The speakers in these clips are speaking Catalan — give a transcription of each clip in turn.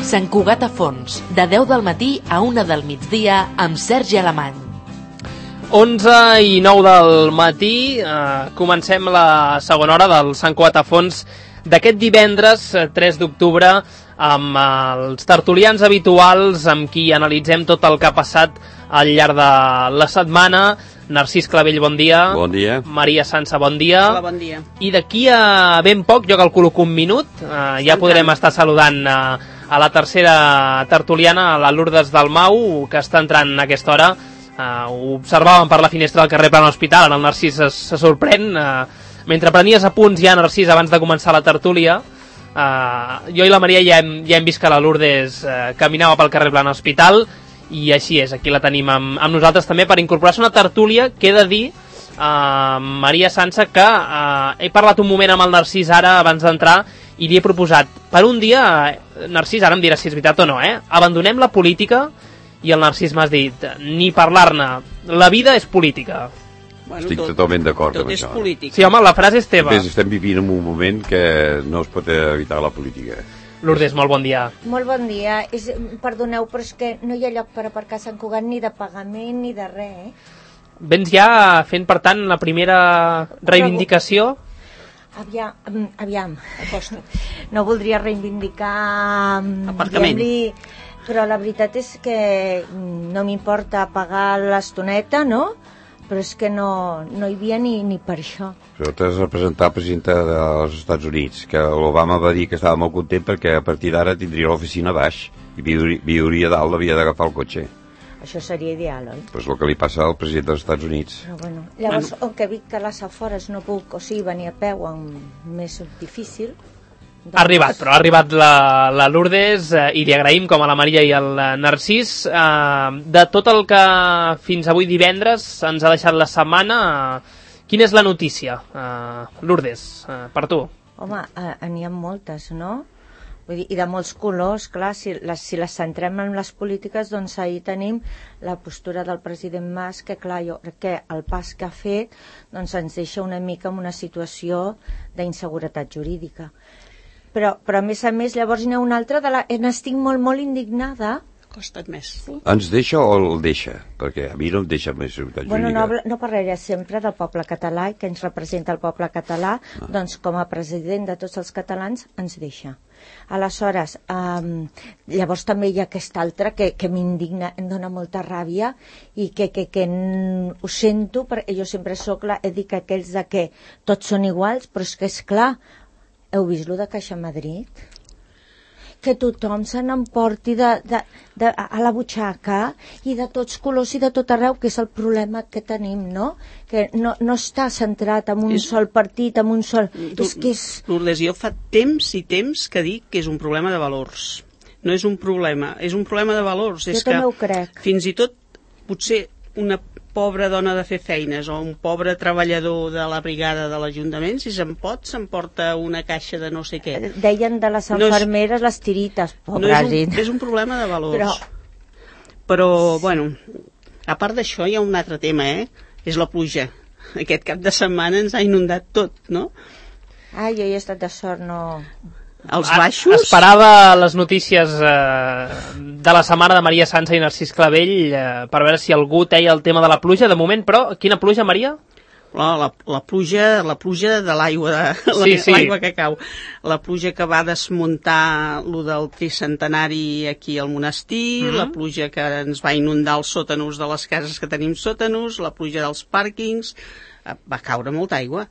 Sant Cugat a Fons, de 10 del matí a 1 del migdia, amb Sergi Alemany. 11:09 del matí, comencem la segona hora del Sant Cugat a Fons d'aquest divendres 3 d'octubre amb els tertulians habituals amb qui analitzem tot el que ha passat al llarg de la setmana. Narcís Clavell, bon dia. Bon dia. Maria Sansa, bon dia. Hola, bon dia. I d'aquí a ben poc, jo calculo que un minut, ja podrem estar saludant a la tercera tertuliana, a la Lourdes Dalmau, que està entrant a aquesta hora. Ho observàvem per la finestra del carrer Plana Hospital, ara el Narcís se sorprèn. Mentre prenies apunts ja, Narcís, abans de començar la tertúlia, jo i la Maria ja hem vist que la Lourdes caminava pel carrer Plana Hospital, i així és, aquí la tenim amb nosaltres també per incorporar-se una tertúlia que he de dir, Maria Sansa, que he parlat un moment amb el Narcís ara abans d'entrar i li he proposat per un dia, Narcís, ara em diràs si és veritat o no, abandonem la política, i el Narcís m'has dit, ni parlar-ne, la vida és política. Bueno, estic totalment d'acord amb això. Tot és política. Sí, home, la frase és teva. Estem vivint en un moment que no es pot evitar la política. Lourdes, molt bon dia. Molt bon dia. Perdoneu, però és que no hi ha lloc per aparcar a Sant Cugat ni de pagament ni de res, Vens ja fent, per tant, la primera reivindicació? Aviam. No voldria reivindicar... Aparcament. Però la veritat és que no m'importa pagar l'estoneta, no? Però és que no hi havia ni per això. Però t'has de presentar presidenta dels Estats Units, que l'Obama va dir que estava molt content perquè a partir d'ara tindria l'oficina baix i viuria dalt, havia d'agafar el cotxe. Això seria ideal, oi? Pues el que li passa al president dels Estats Units. Però bueno, llavors, on que dic que a les afores no puc, o sigui, venir a peu més difícil... Ha arribat la Lourdes i li agraïm, com a la Maria i el Narcís, de tot el que fins avui divendres ens ha deixat la setmana. Quina és la notícia, Lourdes, per tu? Home, n'hi ha moltes, no? Vull dir, i de molts colors, clar, si les centrem en les polítiques, doncs ahir tenim la postura del president Mas, que clar, jo crec que el pas que ha fet doncs ens deixa una mica en una situació d'inseguretat jurídica. Però a més, llavors n'hi ha una altra, n'estic molt indignada. Costa't més. Sí? Ens deixa o el deixa? Perquè a mi no em deixa més seguretat jurídica. Bueno, no parlaré sempre del poble català i que ens representa el poble català, doncs com a president de tots els catalans ens deixa. Aleshores, llavors també hi ha aquesta altra que m'indigna, em dona molta ràbia i que ho sento, perquè jo sempre he dit que aquells de que tots són iguals, però és que és clar, heu vist lo de Caixa Madrid? Que tothom se n'emporti a la butxaca i de tots colors i de tot arreu, que és el problema que tenim, no? Que no està centrat en un sol partit, en un sol... Lourdes, jo fa temps i temps que dic que és un problema de valors. No és un problema, és un problema de valors. Jo també ho crec. Fins i tot, potser una pobra dona de fer feines o un pobre treballador de la brigada de l'Ajuntament, si s'emporta una caixa de no sé què. Deien de les infermeres les tirites, pobres. És un problema de valors. Però, bueno, a part d'això hi ha un altre tema, és la pluja. Aquest cap de setmana ens ha inundat tot, no? Jo hi he estat de sort, no... Els baixos... Esperava les notícies de la setmana de Maria Sansa i Narcís Clavell per veure si algú teia el tema de la pluja. De moment, però, quina pluja, Maria? La pluja de l'aigua, l'aigua que cau. La pluja que va desmuntar lo del tricentenari aquí al monestir, la pluja que ens va inundar els sòtanos de les cases que tenim sòtanos, la pluja dels pàrquings... Va caure molta aigua.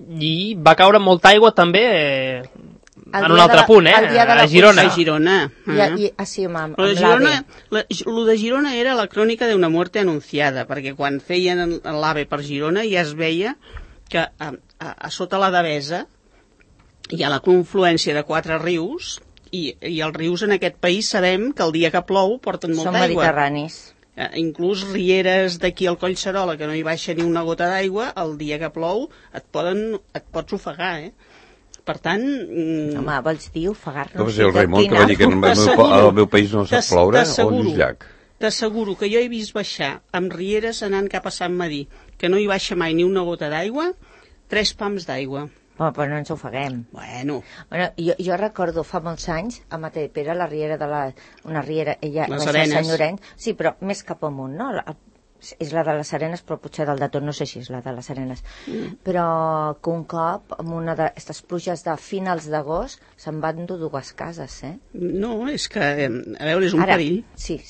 I va caure molta aigua també... en un altre punt, a Girona. Sí, amb Lo de Girona era la crònica d'una muerte anunciada, perquè quan feien l'AVE per Girona ja es veia que a sota la Devesa hi ha la confluència de 4 rius i els rius en aquest país sabem que el dia que plou porten molta aigua. Són mediterranis. Inclús rieres d'aquí al Collserola, que no hi baixa ni una gota d'aigua, el dia que plou et pots ofegar, Per tant... Home, vols dir ofegar-nos? No, el Raimon que va dir que al meu país no sap ploure, on és llac? T'asseguro que jo he vist baixar amb rieres anant cap a Sant Madí, que no hi baixa mai ni una gota d'aigua, 3 pams d'aigua. Però no ens ofeguem. Bueno, jo recordo fa molts anys, a Matadepera, la riera una riera, ella Les va ser Arenes. Sant Llorenç, sí, però més cap amunt, no? És la de les Arenes, però potser del de tot, no sé si és la de les Arenes. Però que un cop, amb una d'aquestes pluges de finals d'agost, se'n van dur 2 cases, no, és que, a veure, és un perill. Sí.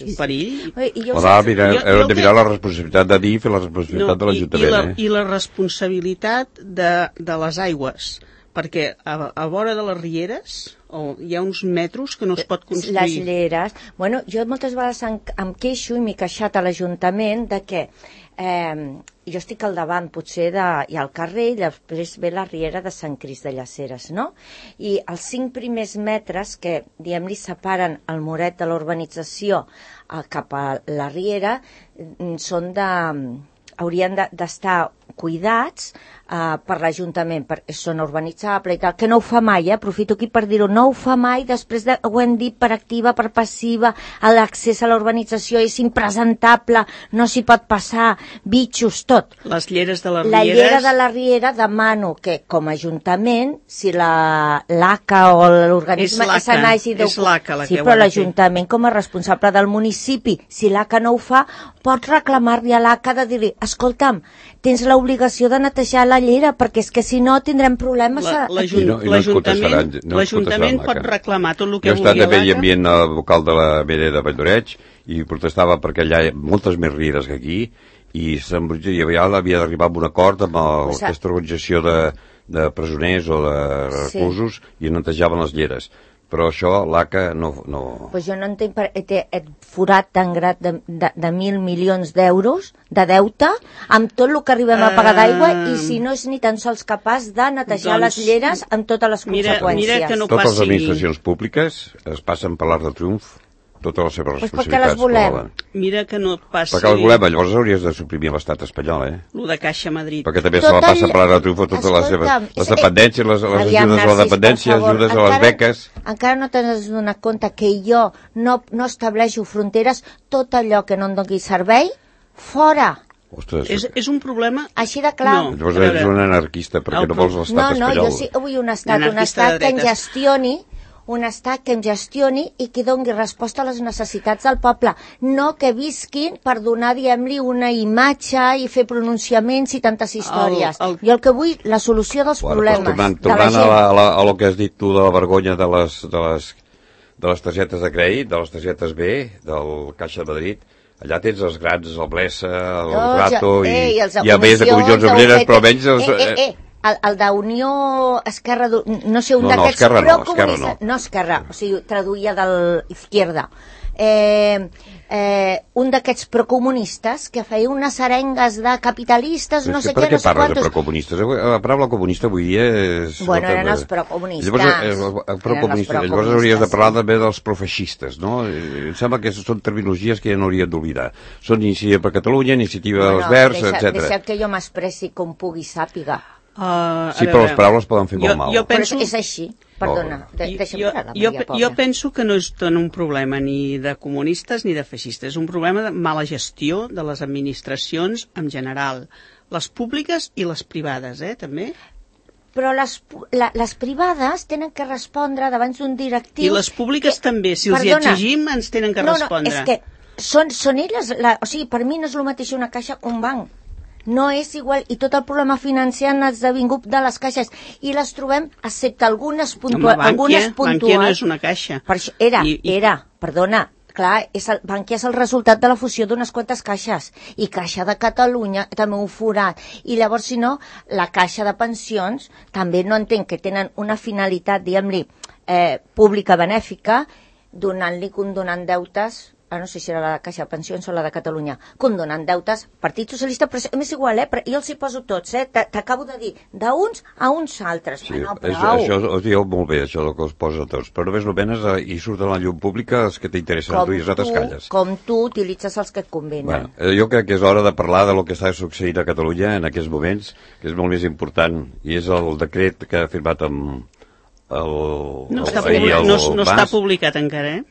Un perill. Hem de mirar la responsabilitat de DIF i la responsabilitat de l'Ajuntament. I la responsabilitat de les aigües, perquè a vora de les rieres hi ha uns metros que no es pot construir. Les lleres. Bueno, jo moltes vegades em queixo i m'he queixat a l'Ajuntament de que jo estic al davant, potser, hi ha el carrer i després ve la riera de Sant Crist de Llaceres, no? I els 5 primers metres que, diguem-li, separen el muret de la urbanització cap a la riera haurien d'estar cuidats per l'Ajuntament, perquè és zona urbanitzable i tal, que no ho fa mai, aprofito aquí per dir-ho, no ho fa mai, després ho hem dit per activa, per passiva, l'accés a la urbanització és impresentable, no s'hi pot passar, bitxos, tot. Les lleres de les rieres... La llera de la riera demano que, com a Ajuntament, si l'ACA o l'organisme se n'hagi és l'ACA la que sí, però l'Ajuntament, com a responsable del municipi, si l'ACA no ho fa, pot reclamar-li a l'ACA de dir-li, escolta'm, tens l'obligació de netejar la llera, perquè és que si no tindrem problemes... L'Ajuntament pot reclamar tot el que vulgui l'ACA. Jo he estat a Medi Ambient vocal de la BD de Valldoreig i protestava perquè allà hi ha moltes més rieres que aquí i havia d'arribar a un acord amb aquesta organització de presoners o de reclusos i netejaven les lleres. Però això l'ACA no... Pues jo no entenc té forat tan gran de 1.000 milions d'euros de deute amb tot el que arribem a pagar d'aigua i si no és ni tan sols capaç de netejar les lleres amb totes les conseqüències. Mira que no totes les administracions públiques es passen per l'Arc de Triomf totes les seves responsabilitats. Perquè les volem. Mira que no passi... Perquè les volem, llavors hauries de suprimir l'estat espanyol, Lo de Caixa Madrid. Perquè també se la passa per l'Arc de Triomf totes les seves... Les dependències, les ajudes a la dependència, les ajudes a les beques... Encara no t'has donat compte que jo no estableixo fronteres, tot allò que no em doni servei, fora! Ostres, és un problema... Així de clar. No, llavors eres un anarquista perquè no vols l'estat espanyol. No, jo sí vull un estat que em gestioni, un estat que em gestioni i que doni resposta a les necessitats del poble, no que visquin per donar, diguem-li, una imatge i fer pronunciaments i tantes històries. Jo el que vull, la solució dels problemes de la gent. A lo que has dit tu de la vergonya de les targetes de crèdit, de les targetes B, del Caixa de Madrid, allà tens els grans, el Blesa, el Rato i a més de comissions obreres, però almenys... El d'Unió Esquerra, no sé, un d'aquests... No, Esquerra, o sigui, traduïa de l'Izquierda. Un d'aquests procomunistes que feia unes arengues de capitalistes, no sé què, no sé quantos... Per què parles de procomunistes? La paraula comunista avui dia és... Bueno, eren els procomunistes. Llavors hauries de parlar també dels profeixistes, no? Em sembla que són terminologies que ja no hauríem d'oblidar. Són Iniciativa per Catalunya, Iniciativa dels Verds, etc. Deixa que jo m'expressi com pugui sàpiga. Sí, però les paraules poden fer molt mal. Però és així, perdona. Jo penso que no és tant un problema ni de comunistes ni de feixistes, és un problema de mala gestió de les administracions en general, les públiques i les privades, també. Però les privades tenen que respondre davant d'un directiu... I les públiques també, si els hi exigim ens tenen que respondre. No, és que són elles, o sigui, per mi no és el mateix una caixa que un banc. No és igual, i tot el problema financer han esdevingut de les caixes, i les trobem, excepte algunes puntuals. Bankia no és una caixa. Per això, perdona, clar, Bankia és el resultat de la fusió d'unes quantes caixes, i Caixa de Catalunya també un forat, i llavors, si no, la Caixa de Pensions també no entenc que tenen una finalitat, diguem-li, pública benèfica, condonant deutes, no sé si era la de Caixa de Pensions o la de Catalunya, condonant deutes, Partit Socialista, però és igual, però jo els hi poso tots, t'acabo de dir, d'uns a uns altres. Sí, això ho diu molt bé, això que els posa tots, però només i surten a la llum pública els que t'interessen a tu i els altres calles. Com tu utilitzes els que et convenen. Jo crec que és hora de parlar de lo que està succeint a Catalunya en aquests moments, que és molt més important, i és el decret que ha firmat amb no està publicat encara,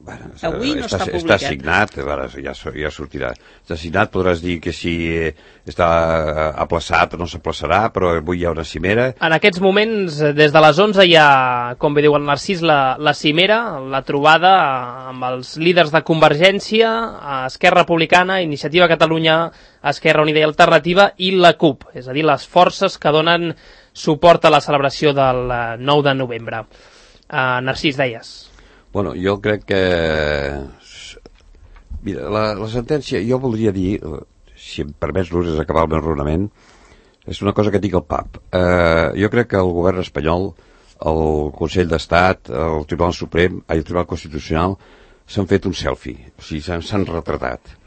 Avui no està publicat. Està signat, ja sortirà. Està signat, podràs dir que si està aplaçat o no s'aplaçarà, però avui hi ha una cimera. En aquests moments, des de les 11 hi ha, com bé diu el Narcís, la cimera, la trobada amb els líders de Convergència, Esquerra Republicana, Iniciativa Catalunya, Esquerra Unida i Alternativa i la CUP, és a dir, les forces que donen suport a la celebració del 9 de novembre. Narcís, deies. Bueno, jo crec que... Mira, la sentència, jo voldria dir, si em permets l'ús acabar el meu raonament, és una cosa que dic al PAP. Jo crec que el govern espanyol, el Consell d'Estat, el Tribunal Suprem, el Tribunal Constitucional, s'han fet un selfie, o sigui, s'han retratat.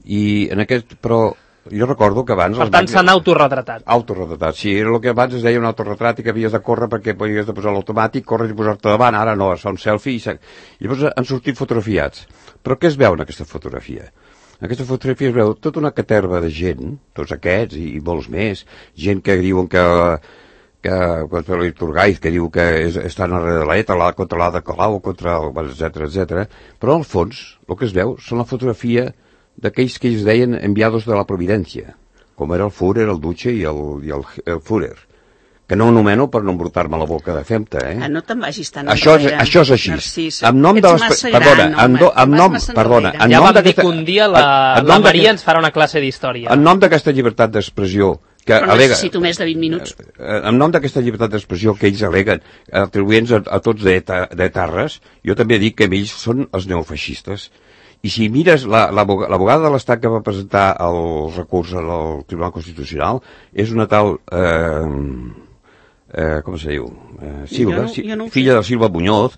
I en aquest... Però jo recordo que abans... Per tant, s'han autorretratat. Autorretratat, sí. Era el que abans es deia un autorretrat i que havies de córrer perquè havies de posar l'automàtic, córrer i posar-te davant. Ara no, es fa un selfie i llavors han sortit fotografiats. Però què es veu en aquesta fotografia? En aquesta fotografia es veu tota una caterva de gent, tots aquests i molts més, gent que diuen que contra l'Iturgaiz, que diu que estan darrere de l'ETA, contra l'Ada Colau, etc. Però al fons, el que es veu són la fotografia d'aquells que ells deien enviados de la Providència, com era el Führer, el Duce i el Führer, que no anomeno per no embrutar-me la boca de femta, no te'n vagis tan això és així. Narcís, en nom de les... Perdona, ja vam dir que un dia la Maria ens farà una classe d'història. En nom d'aquesta llibertat d'expressió que però alega... necessito més de 20 minuts. En nom d'aquesta llibertat d'expressió que ells aleguen, atribuents a tots d'etarres, jo també dic que ells són els neofeixistes. I si mires l'abogada de l'Estat que va presentar el recurs al Tribunal Constitucional és una tal com se diu? Silva, filla de Silva Muñoz,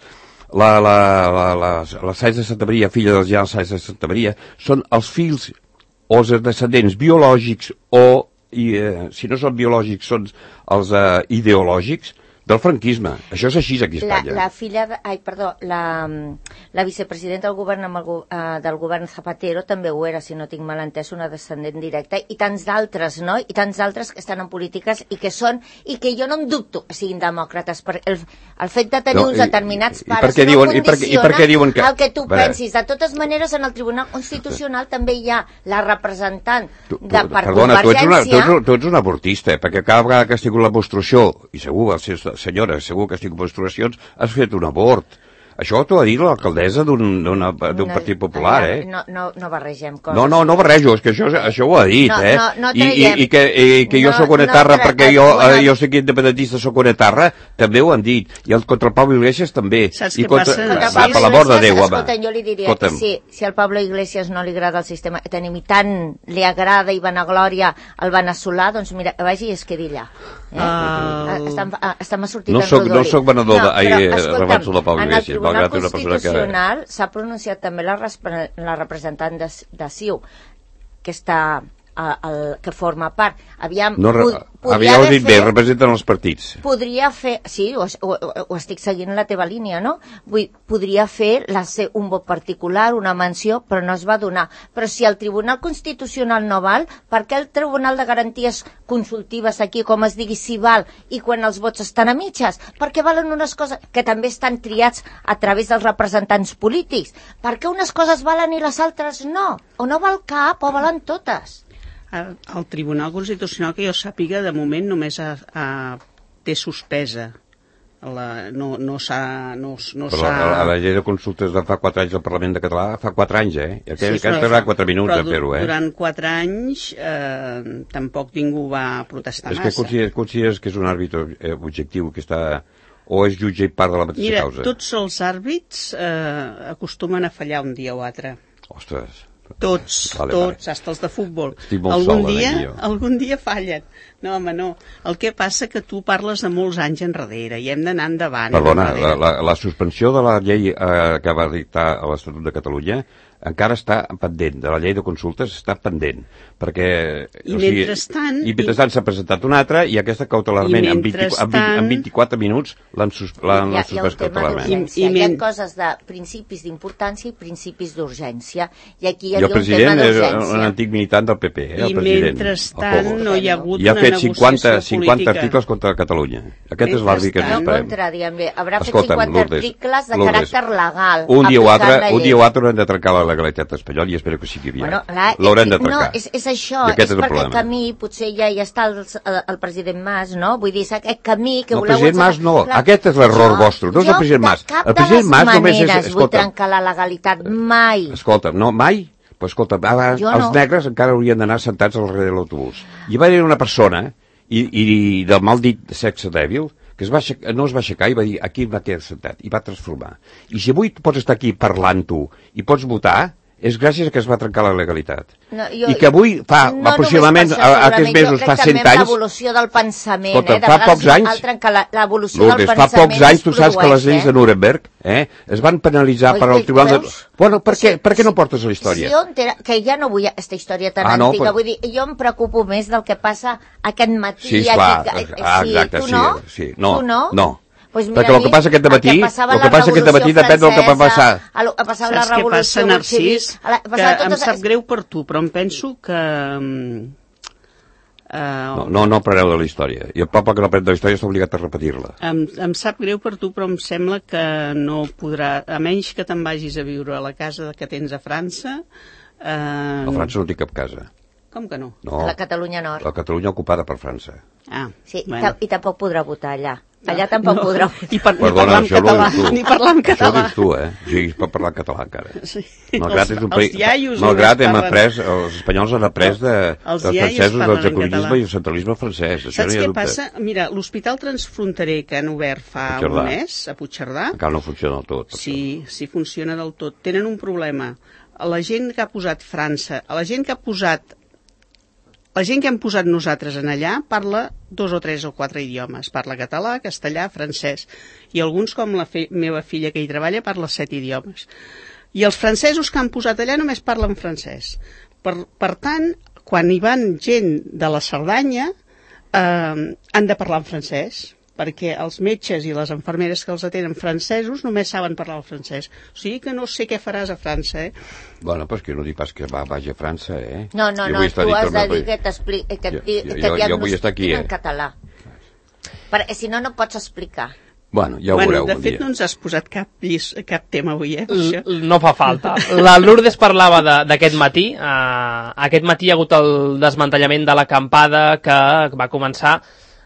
la Sáenz de Santa Maria, filla del general Sáenz de Santa Maria, són els fills o els descendents biològics o, si no són biològics, són els ideològics del franquisme. Això és així aquí a Espanya. La filla, la vicepresidenta del govern Zapatero també ho era, si no tinc mal entès, una descendent directa, i tants d'altres, no? I tants d'altres que estan en polítiques i que jo no em dubto que siguin demòcrates, perquè el fet de tenir uns determinats pares no condiciona el que tu pensis. De totes maneres, en el Tribunal Constitucional també hi ha la representant per Convergència... Tu ets un abortista, perquè cada vegada que ha sigut la menstruació, i segur, senyora, segur que estic en menstruacions, has fet un abort. Això t'ho ha dit l'alcaldessa d'un partit popular, No barregem coses. No barrejo, és que això ho ha dit, I que jo soc una etarra perquè jo soc independentista, soc una etarra, també ho han dit. I contra el Pablo Iglesias també. Saps què passa? Per l'amor de Déu, home. Escolta, jo li diria que si al Pablo Iglesias no li agrada el sistema que tenim i tant li agrada i vanaglòria el veneçolà, doncs mira, vagi i es quedi allà. Estem sortint en rodolí. No soc venedor de Pablo Iglesias. En el Tribunal Constitucional s'ha pronunciat també la representant de CiU, que està que forma part. Representen els partits. Podria fer, sí, ho estic seguint la teva línia, no? Podria fer un vot particular, una menció, però no es va donar. Però si el Tribunal Constitucional no val, per què el Tribunal de Garanties Consultives aquí, com es digui, si val, i quan els vots estan a mitges? Perquè valen unes coses que també estan triats a través dels representants polítics. Per què unes coses valen i les altres no? O no val cap, o valen totes? El Tribunal Constitucional, que jo sàpiga, de moment només té suspesa. No s'ha... La llei de consultes de fa 4 anys del Parlament de Català, fa 4 anys, Aquesta tardarà 4 minuts a fer-ho, Durant 4 anys tampoc ningú va protestar massa. És que consideres que és un àrbitre objectiu que està... o és jutge i part de la mateixa causa? Mira, tots els àrbits acostumen a fallar un dia o altre. Ostres... Tots, hasta els de futbol. Algun dia fallen. No, home, no. El que passa que tu parles de molts anys enrere i hem d'anar endavant. Perdona, la suspensió de la llei que va dictar l'Estatut de Catalunya encara està pendent, de la llei de consultes està pendent, perquè... I mentrestant s'ha presentat una altra i aquesta cautelarment, en 24 minuts, l'han suspès cautelarment. Hi ha coses de principis d'importància i principis d'urgència. I aquí hi havia un tema d'urgència. El president és un antic militant del PP, el president. I mentrestant no hi ha hagut una negociació política. I ha fet 50 articles contra Catalunya. Aquest és l'arbitre que ens esperem. No contra, diguem-ne, haurà fet 50 articles de caràcter legal. Un dia o altre haurem de trencar la legalitat espanyola i espero que sigui aviat. L'haurem de trencar. No, és això, és perquè el camí, potser ja hi està el president Mas, no? Vull dir, aquest camí que voleu... No, el president Mas no, aquest és l'error vostre, no és el president Mas. El president Mas només és... Maneres vull trencar la legalitat, mai. Escolta, no, mai? Però escolta, els negres encara haurien d'anar sentats al darrere de l'autobús. I va haver una persona, i del mal dit sexe dèbil, que no es va aixecar i va dir aquí em va quedar sentat, i va transformar. I si avui pots estar aquí parlant-ho i pots votar, és gràcies a que es va trencar la legalitat. I que avui fa aproximadament aquests mesos fa 100 anys... Jo crec que l'evolució del pensament, escolta, fa pocs anys, l'evolució del pensament fa pocs anys, tu saps que les lleis de Nuremberg es van penalitzar per al tribunal de... Bueno, per què no portes la història? Que ja no vull aquesta història tan antiga, vull dir, jo em preocupo més del que passa aquest matí. Sí, esclar, exacte, sí. No. Pues mira, perquè el que passa aquest dematí depèn del que va passar. Saps què passa, Narcís? Que em sap greu per tu, però em penso que... No apreneu de la història. I el poble que no aprèn de la història està obligat a repetir-la. Em sap greu per tu, però em sembla que no podrà... A menys que te'n vagis a viure a la casa que tens a França... A França no tinc cap casa. Com que no? A la Catalunya Nord. La Catalunya ocupada per França. Sí, i tampoc podrà votar allà. Allà tampoc podrà votar. Perdona, ni parlar en català. Això ho dius tu, Sí, es pot parlar en català encara. Sí. Malgrat hem après, els espanyols han après dels francesos del jacobinisme i el centralisme francès. Saps què passa? Mira, l'hospital transfronterer que han obert fa un mes, a Puigcerdà... Encara no funciona del tot. Sí funciona del tot. Tenen un problema. La gent que ha posat França, la gent que hem posat nosaltres en allà parla 2 o 3 o 4 idiomes. Parla català, castellà, francès. I alguns, com la meva filla que hi treballa, parla 7 idiomes. I els francesos que han posat allà només parlen francès. Per tant, quan hi van gent de la Cerdanya, han de parlar en francès, perquè els metges i les infermeres que els atenen francesos només saben parlar el francès. O sigui que no sé què faràs a França, Bueno, però és que no dic pas que vagi a França, No, tu has de dir que et diagnostiquin en català. Perquè si no pots explicar. Bueno, ja ho veureu de fet, no ens has posat cap tema avui, No fa falta. La Lourdes parlava d'aquest matí. Aquest matí hi ha hagut el desmantellament de l'acampada que va començar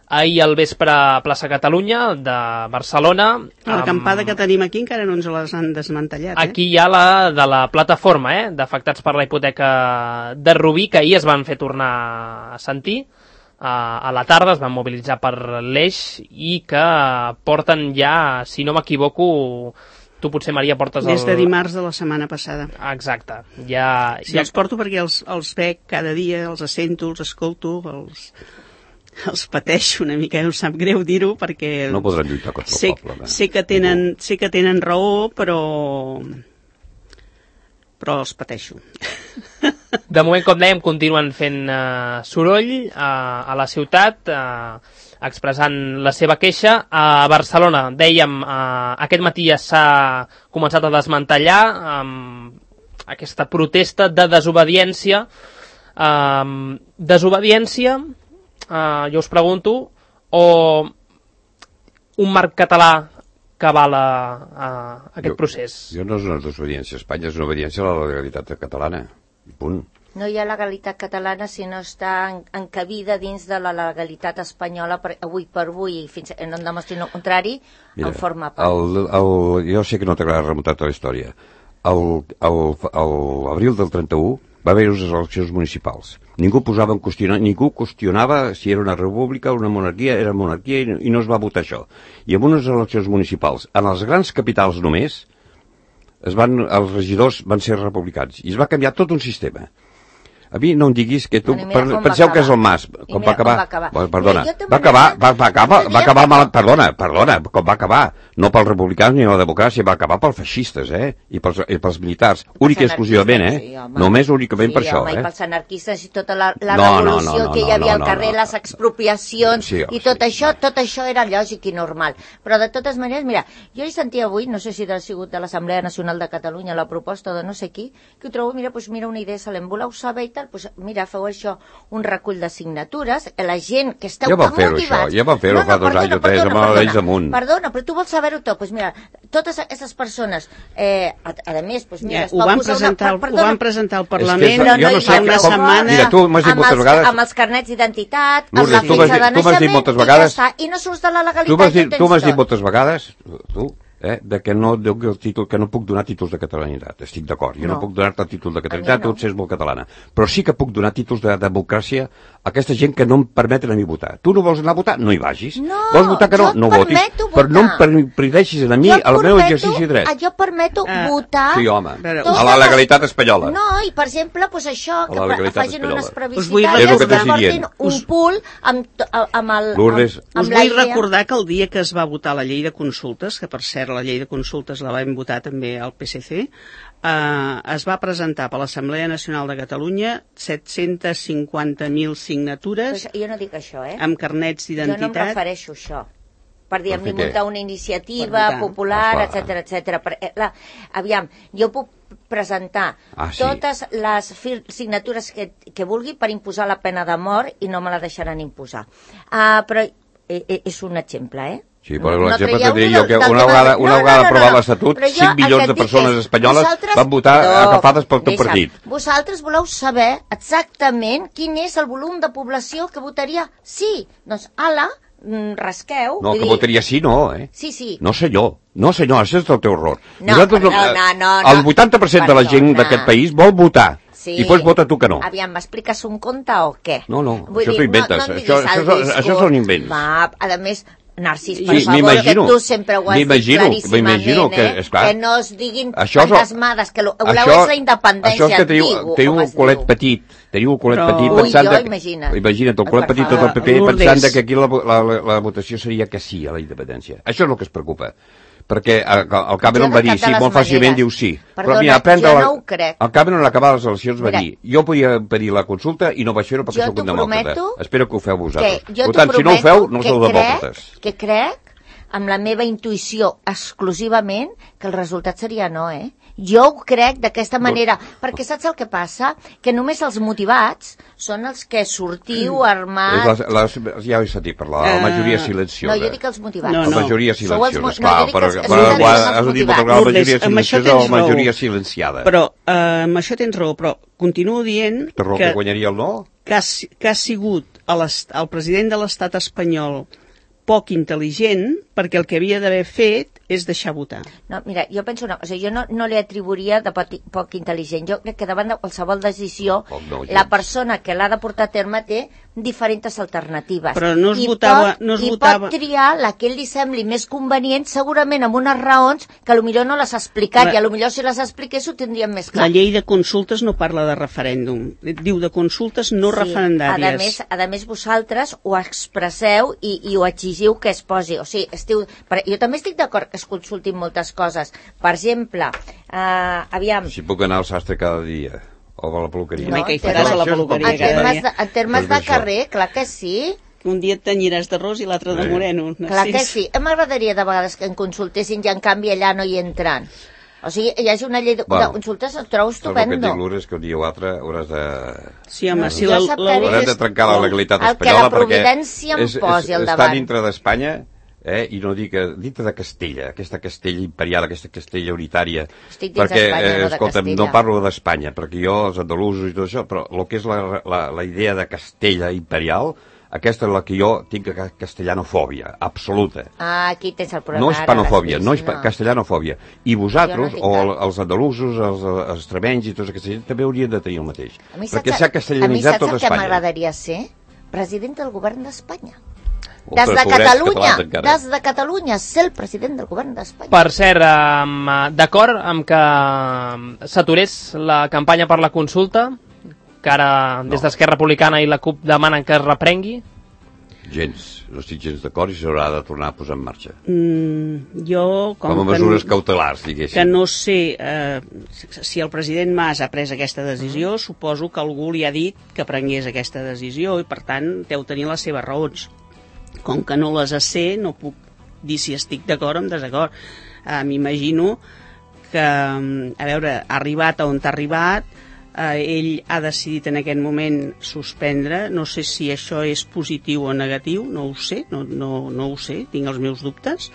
ahir al vespre a Plaça Catalunya de Barcelona. L'acampada que tenim aquí encara no ens les han desmantellat. Aquí hi ha la de la plataforma d'afectats per la hipoteca de Rubí, que ahir es van fer tornar a sentir. A la tarda es van mobilitzar per l'Eix i que porten ja, si no m'equivoco, tu potser, Maria, portes des de dimarts de la setmana passada. Exacte. Els porto perquè els veig cada dia, els sento, els escolto, els pateixo una mica, em sap greu dir-ho perquè... No podran lluitar contra el poble. Sé que tenen raó, però els pateixo. De moment, com dèiem, continuen fent soroll a la ciutat, expressant la seva queixa. A Barcelona, dèiem, aquest matí ja s'ha començat a desmantellar aquesta protesta de desobediència. Jo us pregunto, o un marc català que avala aquest procés? Jo no és una desobediència a Espanya, és una obediència a la legalitat catalana. Punt. No hi ha legalitat catalana si no està encabida dins de la legalitat espanyola avui per avui, fins que no em demostrin el contrari. Mira, en forma part. Jo sé que no t'agrada remuntar tota la història. L'abril del 31 va haver unes eleccions municipals. Ningú qüestionava si era una república o una monarquia, era monarquia i no es va votar això. I en unes eleccions municipals, en les grans capitals només, els regidors van ser republicans i es va canviar tot un sistema. A mi no em diguis que tu... Penseu que és el Mas, com va acabar. Perdona, va acabar mal... Perdona, com va acabar. No pels republicans ni la democràcia, va acabar pels feixistes, I pels militars. Únic i exclusivament, Només únicament per això, I pels anarquistes i tota la revolució que hi havia al carrer, les expropiacions i tot això era lògic i normal. Però de totes maneres, mira, jo hi sentia avui, no sé si ha sigut de l'Assemblea Nacional de Catalunya, la proposta de no sé qui, que ho trobo, mira, una idea excel·lent, voleu saber i tal, mira, feu això, un recull de signatures, la gent que esteu tan motivats... Ja van fer-ho fa 2 anys o 3, amb la llei damunt. Perdona, però tu vols saber-ho tot, mira, totes aquestes persones, a més, mira, ho van presentar al Parlament fa una setmana... Mira, tu m'has dit moltes vegades... Amb els carnets d'identitat, amb la fitxa de naixement, i ja està, i no surts de la legalitat. Tu m'has dit moltes vegades, que no puc donar títols de catalanitat. Estic d'acord, jo no puc donar-te títols de catalanitat, tu ets molt catalana. Però sí que puc donar títols de democràcia a aquesta gent que no em permeten a mi votar. Tu no vols anar a votar? No hi vagis. Vols votar que no votis. Però no em impedeixis a mi el meu exercici de dret. Jo permeto votar... Sí, home, a la legalitat espanyola. No, i per exemple, això, que facin unes plebiscitàries, que portin un pool amb el... Lourdes, us vull recordar que el dia que es va votar la llei de consultes, que per cert la llei de consultes la vam votar també al PSC, es va presentar per l'Assemblea Nacional de Catalunya 750.000 signatures. Jo no dic això, amb carnets d'identitat. Jo no em refereixo a això. Per dir, hem muntar una iniciativa popular, etc. Aviam, jo puc presentar totes les signatures que vulgui per imposar la pena de mort i no me la deixaran imposar. Però és un exemple, Sí, per l'exemple que diria jo que una vegada aprovat l'Estatut, 5 milions de persones espanyoles van votar agafades pel teu partit. Vosaltres voleu saber exactament quin és el volum de població que votaria sí. Doncs, rasqueu. No, que votaria sí, no, Sí. No, senyor, això és el teu error. No. El 80% de la gent d'aquest país vol votar. I després vota tu que no. Aviam, m'expliques un conte o què? No, això t'ho inventes. Això és un invent. A més, Narcís, per favor, que tu sempre ho has dit claríssimament, que no es diguin fantasmades, que voleu és la independència. Això és que teniu un culet petit, pensant... Imagina't, el culet petit tot el PP pensant que aquí la votació seria que sí a la independència. Això és el que es preocupa. Perquè el Cameron va dir sí, molt fàcilment diu sí. Perdona, jo no ho crec. El Cameron a acabar les eleccions va dir jo podia pedir la consulta i no vaig fer-ho perquè soc un demòcrata. Espero que ho feu vosaltres. Per tant, si no ho feu, no sou demòcrates. Que crec, amb la meva intuïció exclusivament, que el resultat seria no, Jo ho crec d'aquesta manera, perquè saps el que passa? Que només els motivats són els que sortiu armats... Ja he sentit parlar, la majoria silenciosa. No, jo dic els motivats. La majoria silenciosa, esclar, però has dit moltes vegades la majoria silenciosa o la majoria silenciada. Però amb això tens raó, però continuo dient que guanyaria el no? Que ha sigut el president de l'estat espanyol poc intel·ligent, perquè el que havia d'haver fet és deixar votar. No, mira, jo penso una cosa, jo no li atribuiria de poc intel·ligent. Jo crec que davant de qualsevol decisió, la persona que l'ha de portar a terme té diferents alternatives. Però no es votava... pot triar la que ell li sembli més convenient, segurament amb unes raons que potser no les ha explicat, i potser si les expliqués ho tindríem més clar. La llei de consultes no parla de referèndum, diu de consultes no referendàries. A més, vosaltres ho expresseu i ho exigiu que es posi. O sigui, jo també estic d'acord que es consultin moltes coses. Per exemple, aviam... Si puc anar al sastre cada dia, o a la peluqueria. No, que hi faràs a la peluqueria cada dia. En termes de carrer, clar que sí. Un dia et tenyiràs de ros i l'altre de moreno. Clar que sí. M'agradaria de vegades que em consultessin i en canvi allà no hi entran. O sigui, hi hagi una llei de consultes, el trobo estupendo. El que et dic, Lourdes, que un dia o altre hauràs de... Sí, home, si hauràs de trencar la legalitat espanyola, perquè... El que la providència em posi al davant. Està dintre d'Espanya, i no dic dintre de Castella, aquesta Castella imperial, aquesta Castella unitària. Estic dins d'Espanya, no de escolta'm, no parlo d'Espanya, perquè jo, els andalusos i tot això, però el que és la idea de Castella imperial, aquesta és la que jo tinc castellanofòbia, absoluta. Aquí tens el problema. No és panofòbia, no és castellanofòbia. I vosaltres, o els andalusos, els extremenys i tots aquesta gent, també haurien de tenir el mateix. Perquè s'ha castellanitzat tot Espanya. A mi saps el que m'agradaria ser? President del govern d'Espanya. Des de Catalunya, ser el president del govern d'Espanya. Per cert, d'acord amb que s'aturés la campanya per la consulta, que ara des d'Esquerra Republicana i la CUP demanen que es reprengui? Gens, no estic gens d'acord i s'haurà de tornar a posar en marxa. Jo, com a mesures cautelars, diguéssim. Que no sé si el president Mas ha pres aquesta decisió, suposo que algú li ha dit que prengués aquesta decisió i per tant deu tenir les seves raons. Com que no les sé, no puc dir si estic d'acord o en desacord. M'imagino que, a veure, ha arribat on ha arribat, ell ha decidit en aquest moment suspendre, no sé si això és positiu o negatiu, no ho sé, no ho sé, tinc els meus dubtes,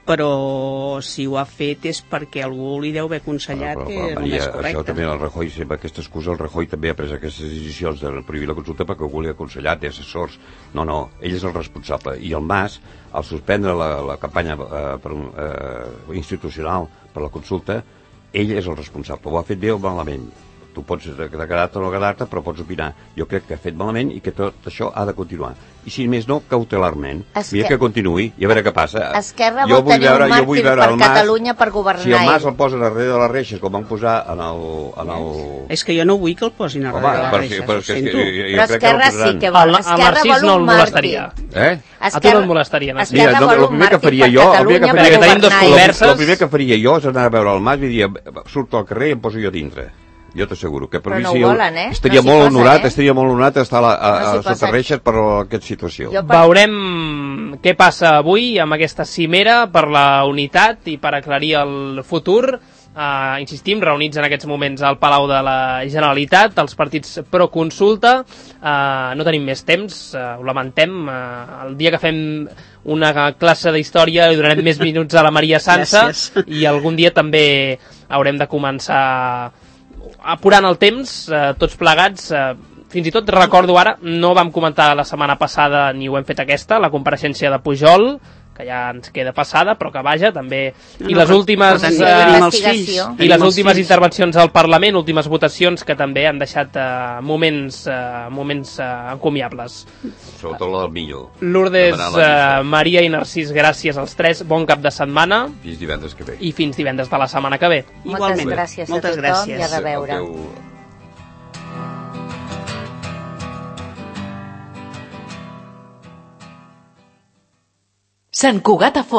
però si ho ha fet és perquè algú li deu haver aconsellat que és el més correcte. Això també el Rajoy, sempre aquesta excusa, el Rajoy també ha pres aquestes decisions de prohibir la consulta perquè algú li ha aconsellat, té assessors. No, ell és el responsable. I el Mas, al suspendre la campanya institucional per la consulta, ell és el responsable. Ho ha fet bé o malament. Tu pots agradar-te o no agradar-te, però pots opinar. Jo crec que ha fet malament i que tot això ha de continuar. I si més no, cautelarment. Mira que continuï i a veure què passa. Esquerra vol tenir un màrtir per Catalunya per governar. Si el Mas el posa darrere de la reixa, com van posar en el... És que jo no vull que el posin a darrere de la reixa, ho sento. Però Esquerra sí que vol. Esquerra vol un màrtir. A tu no et molestaria. Mira, el primer que faria jo... El primer que faria jo és anar a veure el Mas i dir, surto al carrer i em poso jo dintre. Jo t'asseguro que per mi estaria molt honorat estar a sota reixes per aquesta situació. Veurem què passa avui amb aquesta cimera per la unitat i per aclarir el futur. Insistim, reunits en aquests moments al Palau de la Generalitat, els partits pro consulta. No tenim més temps, ho lamentem. El dia que fem una classe d'història li donarem més minuts a la Maria Sansa i algun dia també haurem de començar apurant el temps, tots plegats. Fins i tot recordo ara, no vam comentar la setmana passada ni ho hem fet aquesta, la compareixença de Pujol, que ja ens queda passada, però que vaja, també... I les últimes intervencions al Parlament, últimes votacions, que també han deixat moments encomiables. Sobretot la del millor. Lourdes, Maria i Narcís, gràcies als tres. Bon cap de setmana. Fins divendres que ve. I fins divendres de la setmana que ve. Moltes gràcies a tothom i a reveure. Sant Cugat a Fons.